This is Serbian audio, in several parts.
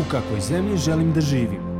U kakvoj zemlji želim da živim?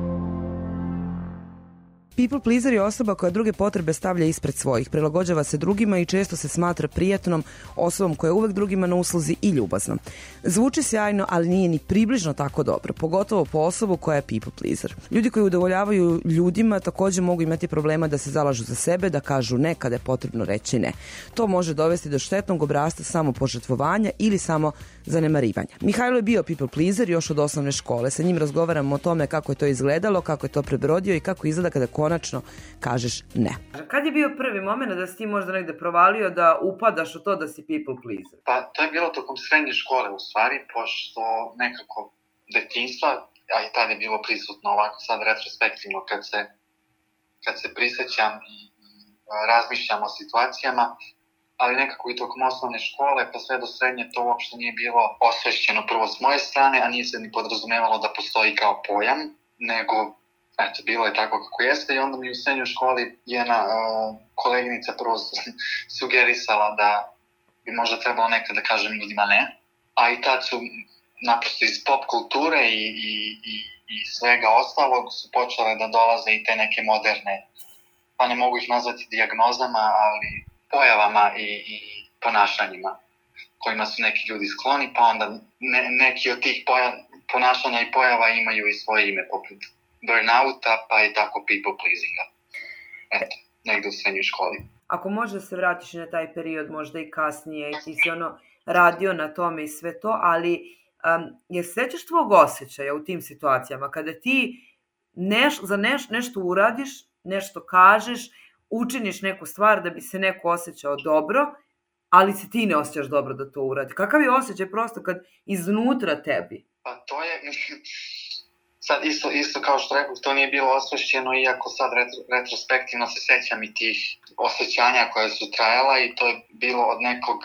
People pleaser je osoba koja druge potrebe stavlja ispred svojih, prilagođava se drugima i često se smatra prijatnom osobom koja je uvek drugima na usluzi i ljubazna. Zvuči sjajno, ali nije ni približno tako dobro, pogotovo po osobu koja je people pleaser. Ljudi koji udovoljavaju ljudima također mogu imati problema da se zalažu za sebe, da kažu ne kada je potrebno reći ne. To može dovesti do štetnog obrasca samopožrtvovanja ili samo zanemarivanja. Mihajlo je bio people pleaser još od osnovne škole. Sa njim razgovaramo o tome kako je to izgledalo, kako je to prebrodio i kako izgleda kada konačno kažeš ne. Kad je bio prvi moment da si ti možda negde provalio da upadaš u to da si people pleaser? Pa to je bilo tokom srednje škole u stvari, pošto nekako detinjstva, a i tada je bilo prisutno ovako sad retrospektivno kad se prisjećam i razmišljam o situacijama, ali nekako i tokom osnovne škole pa sve do srednje to uopšte nije bilo osvešćeno prvo s moje strane, a nije se ni podrazumevalo da postoji kao pojam, nego eto, bilo je tako kako jeste i onda mi u srednjoj školi jedna koleginica prvo sugerisala da bi možda trebalo nekad da kažem ljudima ne, a i tad su naprosto iz pop kulture i svega ostalog su počele da dolaze i te neke moderne, pa ne mogu ih nazvati dijagnozama, ali pojavama i ponašanjima kojima su neki ljudi skloni, pa onda neki od tih ponašanja i pojava imaju i svoje ime, poput burnouta, pa i tako people pleasinga. Eto, negde u srednjoj školi. Ako možeš da se vratiš na taj period, možda i kasnije, i ti si radio na tome i sve to, ali jer sećaš tvog osjećaja u tim situacijama, kada ti nešto uradiš, nešto kažeš, učiniš neku stvar da bi se neko osjećao dobro, ali se ti ne osjećaš dobro da to uradi. Kakav je osjećaj prosto kad iznutra tebi? Pa to je, sad isto kao što rekao, to nije bilo osvešćeno, iako sad retrospektivno se sećam i tih osjećanja koje su trajala i to je bilo od nekog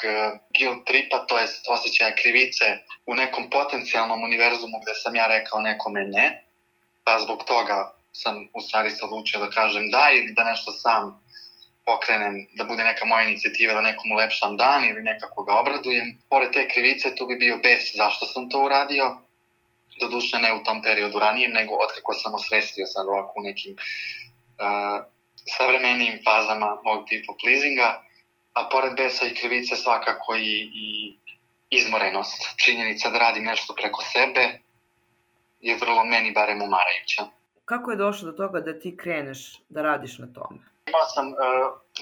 guilt tripa, to je osjećaja krivice u nekom potencijalnom univerzumu gde sam ja rekao nekome ne, pa zbog toga sam u stvari se odlučio da kažem da ili da nešto sam pokrenem, da bude neka moja inicijativa da nekom ulepšam dan ili nekako ga obradujem. Pored te krivice tu bi bio bes zašto sam to uradio, doduše ne u tom periodu ranijem, nego otkako sam osvestio sad ovako u nekim savremenijim fazama mog people pleasinga, a pored besa i krivice svakako i izmorenost. Činjenica da radim nešto preko sebe je vrlo meni barem umarajuća. Kako je došlo do toga da ti kreneš da radiš na tome? Imao sam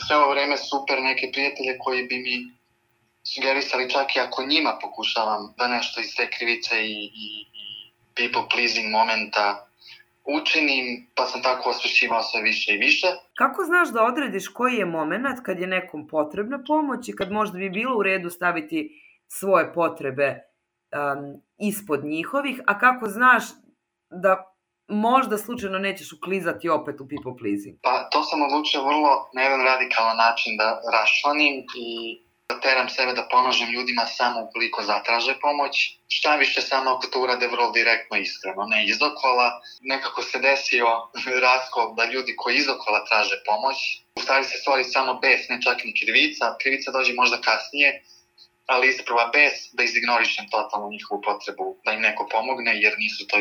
sve ovo vreme super neke prijatelje koji bi mi sugerisali čak i ako njima pokušavam da nešto iz te krivice i people pleasing momenta učinim, pa sam tako osvešćivao sve više i više. Kako znaš da odrediš koji je moment kad je nekom potrebna pomoć i kad možda bi bilo u redu staviti svoje potrebe ispod njihovih, a kako znaš da možda slučajno nećeš uklizati opet u people pleasing? Pa to sam odlučio vrlo na jedan radikalan način da raščlanim i da teram sebe da pomažem ljudima samo ukoliko zatraže pomoć. Šta više samo ako to urade vrlo direktno iskreno, ne izokola. Nekako se desio raskol da ljudi koji izokola traže pomoć, u stvari se stvori samo bes, ne čak ni krivica. Krivica dođe možda kasnije, ali isprva bes da izignorišem totalno njihovu potrebu da im neko pomogne jer nisu to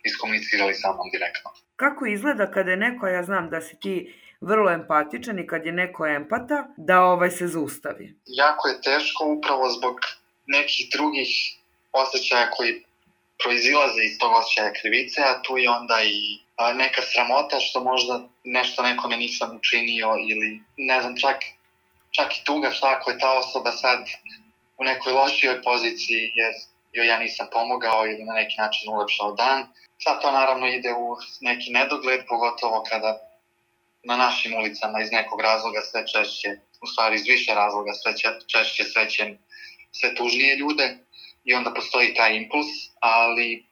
iskomunicirali sa mnom direktno. Kako izgleda kada je neko, ja znam da si ti vrlo empatičan i kad je neko empata, da se zaustavi? Jako je teško upravo zbog nekih drugih osjećaja koji proizilaze iz tog osjećaja krivice, a tu je onda i neka sramota što možda nešto nekome nisam učinio ili ne znam, čak i tuga šta ako je ta osoba sad u nekoj lošijoj poziciji jer joj ja nisam pomogao ili na neki način ulepšao dan. Sad to naravno ide u neki nedogled, pogotovo kada na našim ulicama iz nekog razloga sve češće, u stvari iz više razloga sve češće srećem sve tužnije ljude i onda postoji taj impuls, ali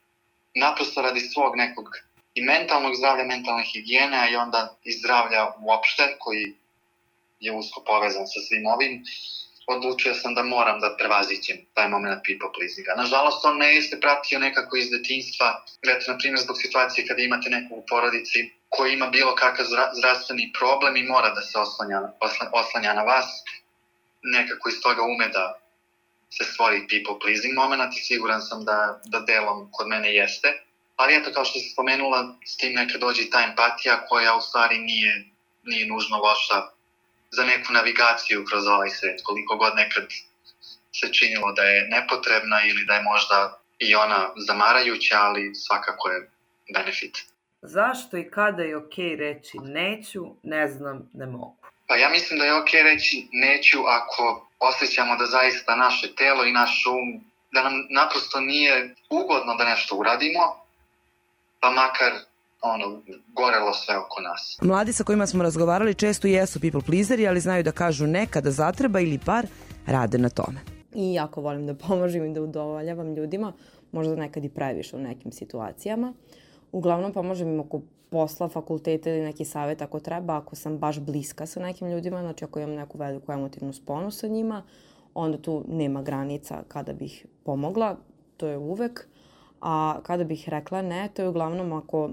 naprosto radi svog nekog i mentalnog zdravlja, mentalne higijene, a i onda i zdravlja uopšte koji je usko povezan sa svim ovim, odlučio sam da moram da prevaziđem taj moment people pleasinga. Nažalost, on ne jeste pratio nekako iz detinjstva, na primjer zbog situacije kada imate nekog u porodici koji ima bilo kakav zdravstveni problem i mora da se oslanja na vas, nekako iz toga ume da se stvori people pleasing moment i siguran sam da delom kod mene jeste, Ali eto, kao što si spomenula, s tim nekad dođe i ta empatija koja u stvari nije nužno loša za neku navigaciju kroz ovaj svet. Koliko god nekad se činilo da je nepotrebna ili da je možda i ona zamarajuća, ali svakako je benefit. Zašto i kada je okej reći neću, ne znam, ne mogu? Pa ja mislim da je okej reći neću ako osjećamo da zaista naše telo i naš um, da nam naprosto nije ugodno da nešto uradimo, pa makar gorelo sve oko nas. Mladi sa kojima smo razgovarali često jesu people pleaseri, ali znaju da kažu ne kada zatreba ili bar rade na tome. I jako volim da pomažem i da udovoljavam ljudima, možda nekad i previše u nekim situacijama. Uglavnom pomažem im oko posla, fakulteta ili neki savjet ako treba, ako sam baš bliska sa nekim ljudima, znači ako imam neku veliku emotivnu sponu sa njima, onda tu nema granica kada bih pomogla, to je uvek. A kada bih rekla ne, to je uglavnom ako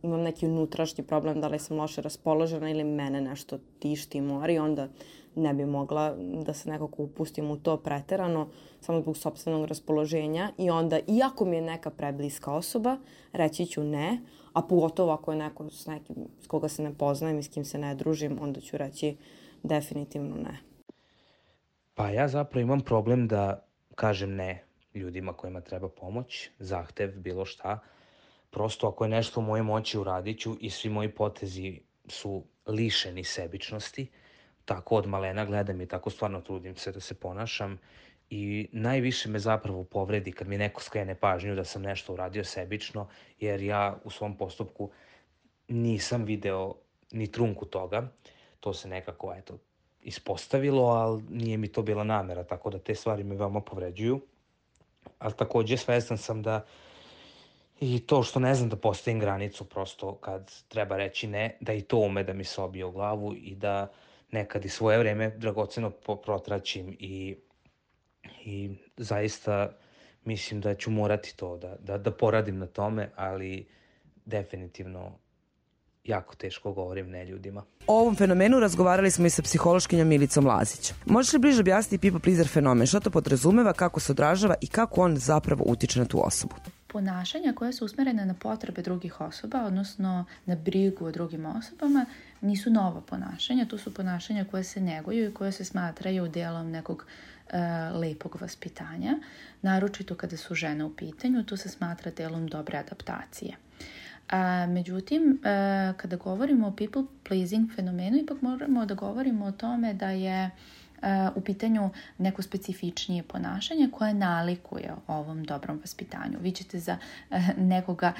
imam neki unutrašnji problem, da li sam loše raspoložena ili mene nešto tišti i mori, onda ne bi mogla da se nekako upustim u to preterano, samo zbog sopstvenog raspoloženja. I onda, iako mi je neka prebliska osoba, reći ću ne, a pogotovo ako je neko s nekim s koga se ne poznajem i s kim se ne družim, onda ću reći definitivno ne. Pa ja zapravo imam problem da kažem ne ljudima kojima treba pomoć, zahtev, bilo šta. Prosto ako je nešto u mojoj moći uradit ću i svi moji potezi su lišeni sebičnosti. Tako od malena gledam i tako stvarno trudim se da se ponašam. I najviše me zapravo povredi kad mi neko skrene pažnju da sam nešto uradio sebično, jer ja u svom postupku nisam video ni trunku toga. To se nekako, ispostavilo, ali nije mi to bila namera, tako da te stvari me veoma povređuju. Ali takođe svestan sam da i to što ne znam da postavim granicu prosto kad treba reći ne, da i to ume da mi se obije u glavu i da nekad i svoje vreme dragoceno protraćim i zaista mislim da ću morati to da poradim na tome, ali definitivno jako teško govorim ne ljudima. O ovom fenomenu razgovarali smo i sa psihološkinjom Milicom Lazić. Možeš li bliže objasniti people pleaser fenomen, što to podrazumeva, kako se odražava i kako on zapravo utiče na tu osobu? Ponašanja koja su usmerena na potrebe drugih osoba, odnosno na brigu o drugim osobama, nisu nova ponašanja. To su ponašanja koje se neguju i koje se smatraju delom nekog lepog vaspitanja. Naročito kada su žene u pitanju, to se smatra delom dobre adaptacije. Međutim, kada govorimo o people pleasing fenomenu, ipak moramo da govorimo o tome da je u pitanju neko specifičnije ponašanje koje nalikuje ovom dobrom vaspitanju. Vi ćete za nekoga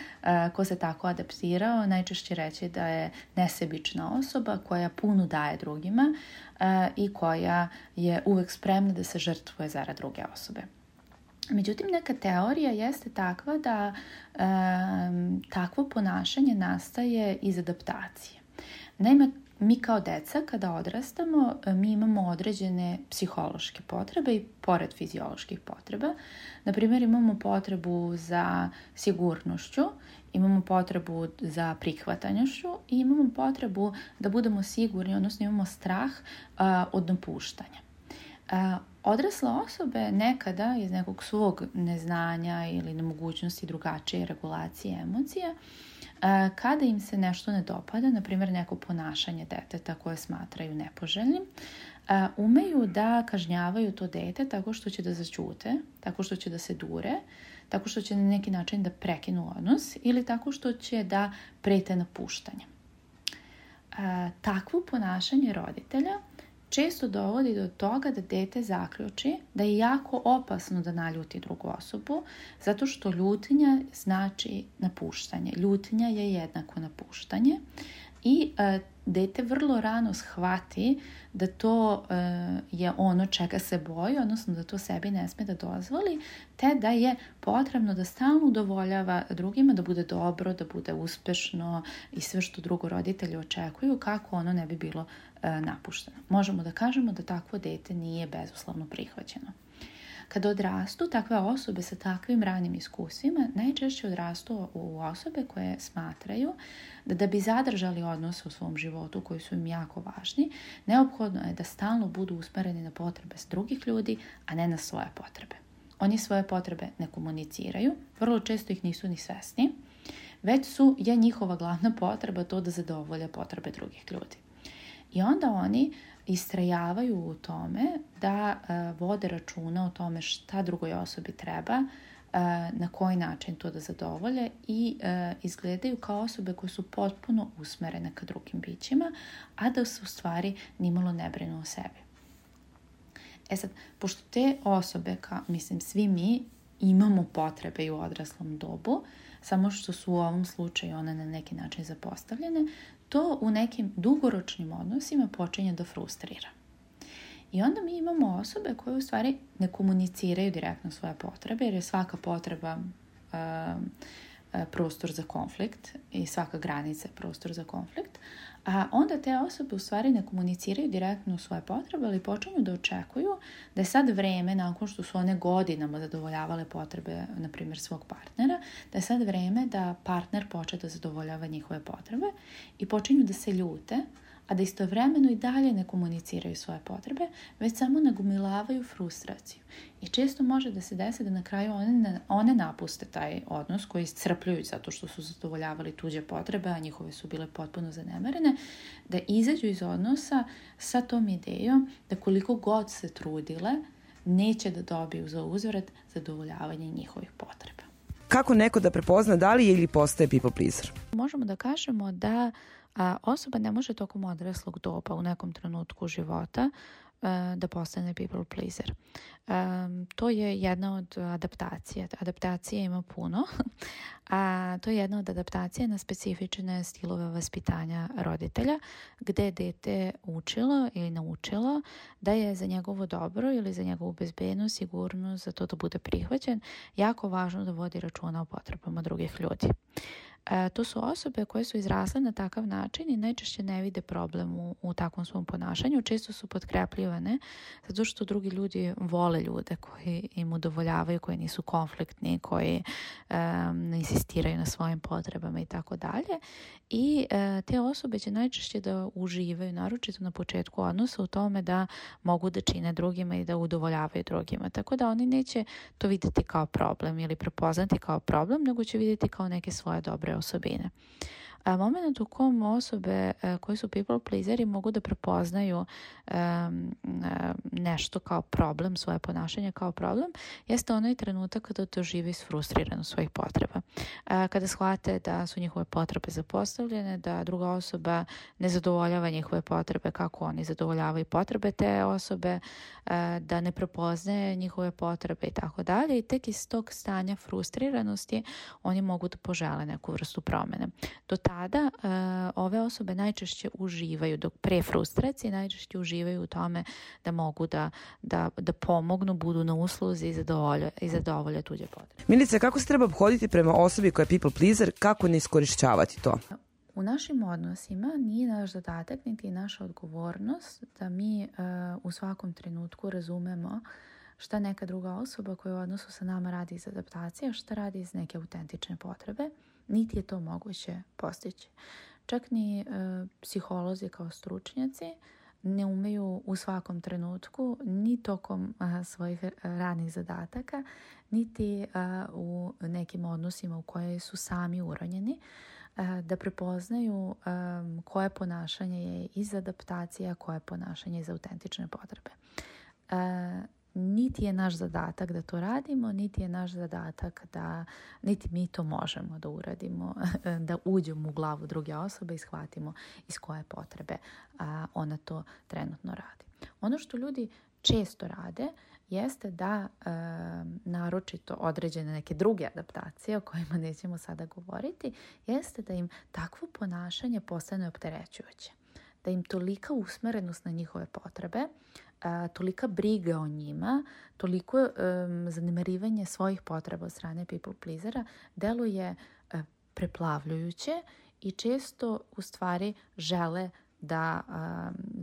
ko se tako adaptirao najčešće reći da je nesebična osoba koja puno daje drugima i koja je uvek spremna da se žrtvuje zarad druge osobe. Međutim, neka teorija jeste takva da takvo ponašanje nastaje iz adaptacije. Naime, mi kao deca kada odrastamo, mi imamo određene psihološke potrebe i pored fizioloških potreba. Naprimjer, imamo potrebu za sigurnošću, imamo potrebu za prihvatanjošću i imamo potrebu da budemo sigurni, odnosno imamo strah od napuštanja. Odrasle osobe nekada iz nekog svog neznanja ili nemogućnosti drugačije regulacije emocija, kada im se nešto ne dopada, na primjer neko ponašanje deteta koje smatraju nepoželjnim, umeju da kažnjavaju to dete tako što će da zaćute, tako što će da se dure, tako što će na neki način da prekinu odnos ili tako što će da prete napuštanje. Takvo ponašanje roditelja često dovodi do toga da dete zaključi da je jako opasno da naljuti drugu osobu, zato što ljutnja znači napuštanje. Ljutnja je jednako napuštanje i dete vrlo rano shvati da to je ono čega se boji, odnosno da to sebi ne sme da dozvoli, te da je potrebno da stalno udovoljava drugima, da bude dobro, da bude uspešno i sve što drugo roditelji očekuju kako ono ne bi bilo napušteno. Možemo da kažemo da takvo dete nije bezuslovno prihvaćeno. Kada odrastu, takve osobe sa takvim ranim iskustvima najčešće odrastu u osobe koje smatraju da bi zadržali odnose u svom životu koji su im jako važni, neophodno je da stalno budu usmereni na potrebe drugih ljudi, a ne na svoje potrebe. oni svoje potrebe ne komuniciraju, vrlo često ih nisu ni svesni, već je njihova glavna potreba to da zadovolje potrebe drugih ljudi. I onda oni istrajavaju u tome da vode računa o tome šta drugoj osobi treba, na koji način to da zadovolje i izgledaju kao osobe koje su potpuno usmerene ka drugim bićima, a da se u stvari nimalo ne brinu o sebi. Sad, pošto te osobe, svi mi imamo potrebe i u odraslom dobu, samo što su u ovom slučaju one na neki način zapostavljene, to u nekim dugoročnim odnosima počinje da frustrira. I onda mi imamo osobe koje u stvari ne komuniciraju direktno svoje potrebe, jer je svaka potreba prostor za konflikt i svaka granica je prostor za konflikt, a onda te osobe u stvari ne komuniciraju direktno svoje potrebe, ali počinju da očekuju da je sad vreme, nakon što su one godinama zadovoljavale potrebe, na primjer, svog partnera, da je sad vreme da partner počne da zadovoljava njihove potrebe i počinju da se ljute, a da istovremeno i dalje ne komuniciraju svoje potrebe, već samo nagomilavaju frustraciju. I često može da se desi da na kraju one napuste taj odnos koji iscrpljuju zato što su zadovoljavali tuđe potrebe, a njihove su bile potpuno zanemarene, da izađu iz odnosa sa tom idejom da koliko god se trudile, neće da dobiju za uzvrat zadovoljavanje njihovih potreba. Kako neko da prepozna da li je ili postaje people pleaser? Možemo da kažemo da osoba ne može tokom odraslog doba u nekom trenutku života da postane people pleaser. To je jedna od adaptacija. Adaptacije ima puno, a to je jedna od adaptacija na specifične stilove vaspitanja roditelja, gde je dete učilo ili naučilo da je za njegovo dobro ili za njegovu bezbednost, sigurnost, za to da bude prihvaćen, jako važno da vodi računa o potrebama drugih ljudi. To su osobe koje su izrasle na takav način i najčešće ne vide problem u takvom svom ponašanju. Često su potkrepljivane zato što drugi ljudi vole ljude koji im udovoljavaju, koji nisu konfliktni, koji insistiraju na svojim potrebama i tako dalje. I te osobe će najčešće da uživaju, naročito na početku odnosa, u tome da mogu da čine drugima i da udovoljavaju drugima. Tako da oni neće to vidjeti kao problem ili prepoznati kao problem, nego će vidjeti kao neke svoje dobre osobine. Moment u kom osobe koji su people pleaseri mogu da prepoznaju nešto kao problem, svoje ponašanje kao problem, jeste onaj trenutak kada dožive isfrustriranost svojih potreba. Kada shvate da su njihove potrebe zapostavljene, da druga osoba ne zadovoljava njihove potrebe kako oni zadovoljavaju potrebe te osobe, da ne prepoznaje njihove potrebe i tako dalje. I tek iz tog stanja frustriranosti oni mogu da požele neku vrstu promene. Do tada ove osobe najčešće uživaju, dok pre frustracije najčešće uživaju u tome da mogu da pomognu, budu na usluzi i zadovolje tuđe potrebe. Milice, kako se treba obhoditi prema osobi koja je people pleaser, kako ne iskorišćavati to? U našim odnosima nije naš zadatak niti naša odgovornost da mi u svakom trenutku razumemo šta neka druga osoba koja u odnosu sa nama radi iz adaptacije, šta radi iz neke autentične potrebe, niti je to moguće postići. Čak ni psiholozi kao stručnjaci ne umeju u svakom trenutku, ni tokom svojih ranih zadataka, niti u nekim odnosima u koje su sami uronjeni, da prepoznaju koje ponašanje je iz adaptacije, a koje ponašanje iz autentične potrebe. Niti je naš zadatak da to radimo, niti je naš zadatak niti mi to možemo da uradimo, da uđemo u glavu druge osobe i shvatimo iz koje potrebe ona to trenutno radi. Ono što ljudi često rade jeste da naročito određene neke druge adaptacije o kojima nećemo sada govoriti, jeste da im takvo ponašanje postane opterećujuće. Da im tolika usmerenost na njihove potrebe, tolika briga o njima, toliko zanemarivanje svojih potreba od strane people pleasera deluje preplavljujuće i često u stvari žele da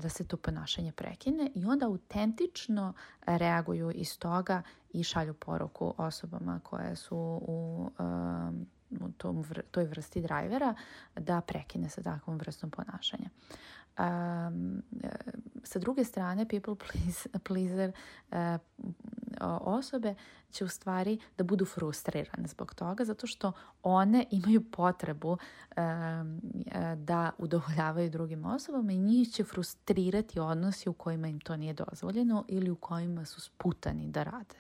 se to ponašanje prekine i onda autentično reaguju iz toga i šalju poruku osobama koje su u toj vrsti drajvera da prekine sa takvom vrstom ponašanja. Sa druge strane, people pleaser osobe će u stvari da budu frustrirane zbog toga, zato što one imaju potrebu da udovoljavaju drugim osobama i njih će frustrirati odnosi u kojima im to nije dozvoljeno ili u kojima su sputani da rade.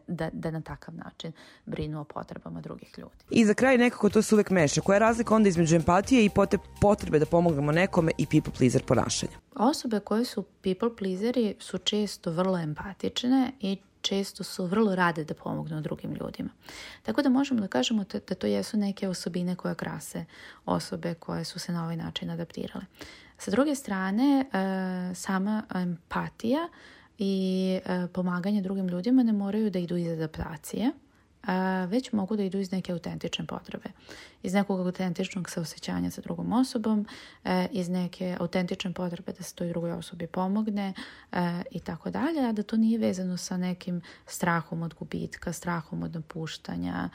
Da na takav način brinu o potrebama drugih ljudi. I za kraj nekako to se uvek meša. Koja je razlika onda između empatije i potrebe da pomognemo nekome i people pleaser ponašanja? Osobe koje su people pleaseri su često vrlo empatične i često su vrlo rade da pomognu drugim ljudima. Tako da možemo da kažemo da to jesu neke osobine koje krase osobe koje su se na ovaj način adaptirale. Sa druge strane, sama empatija i pomaganje drugim ljudima ne moraju da idu iz adaptacije, već mogu da idu iz neke autentične potrebe. Iz nekog autentičnog saosećanja sa drugom osobom, iz neke autentične potrebe da se toj drugoj osobi pomogne i tako dalje, a da to nije vezano sa nekim strahom od gubitka, strahom od napuštanja,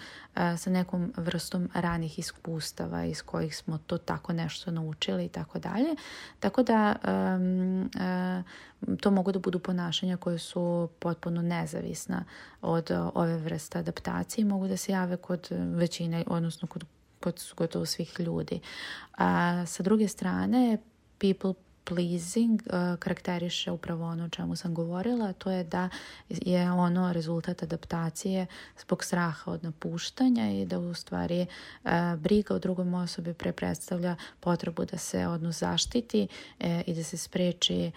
sa nekom vrstom ranih iskustava iz kojih smo to tako nešto naučili i tako dalje. Tako da to mogu da budu ponašanja koje su potpuno nezavisna od ove vrste adaptacije i mogu da se jave kod većine, odnosno kod gotovo svih ljudi. Sa druge strane, people pleasing karakteriše upravo ono o čemu sam govorila, a to je da je ono rezultat adaptacije zbog straha od napuštanja i da u stvari briga o drugom osobi predstavlja potrebu da se odnos zaštiti i da se spreči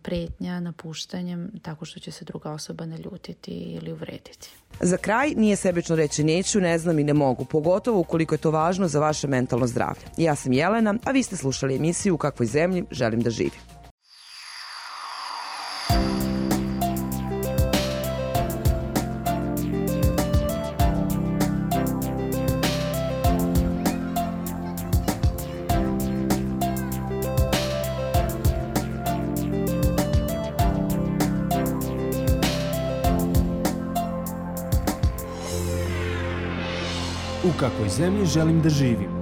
pretnja napuštanjem tako što će se druga osoba naljutiti ili uvrediti. Za kraj, nije sebično reći neću, ne znam i ne mogu, pogotovo ukoliko je to važno za vaše mentalno zdravlje. Ja sam Jelena, a vi ste slušali emisiju U kakvoj zemlji želim da živim. U kakvoj zemlji želim da živim.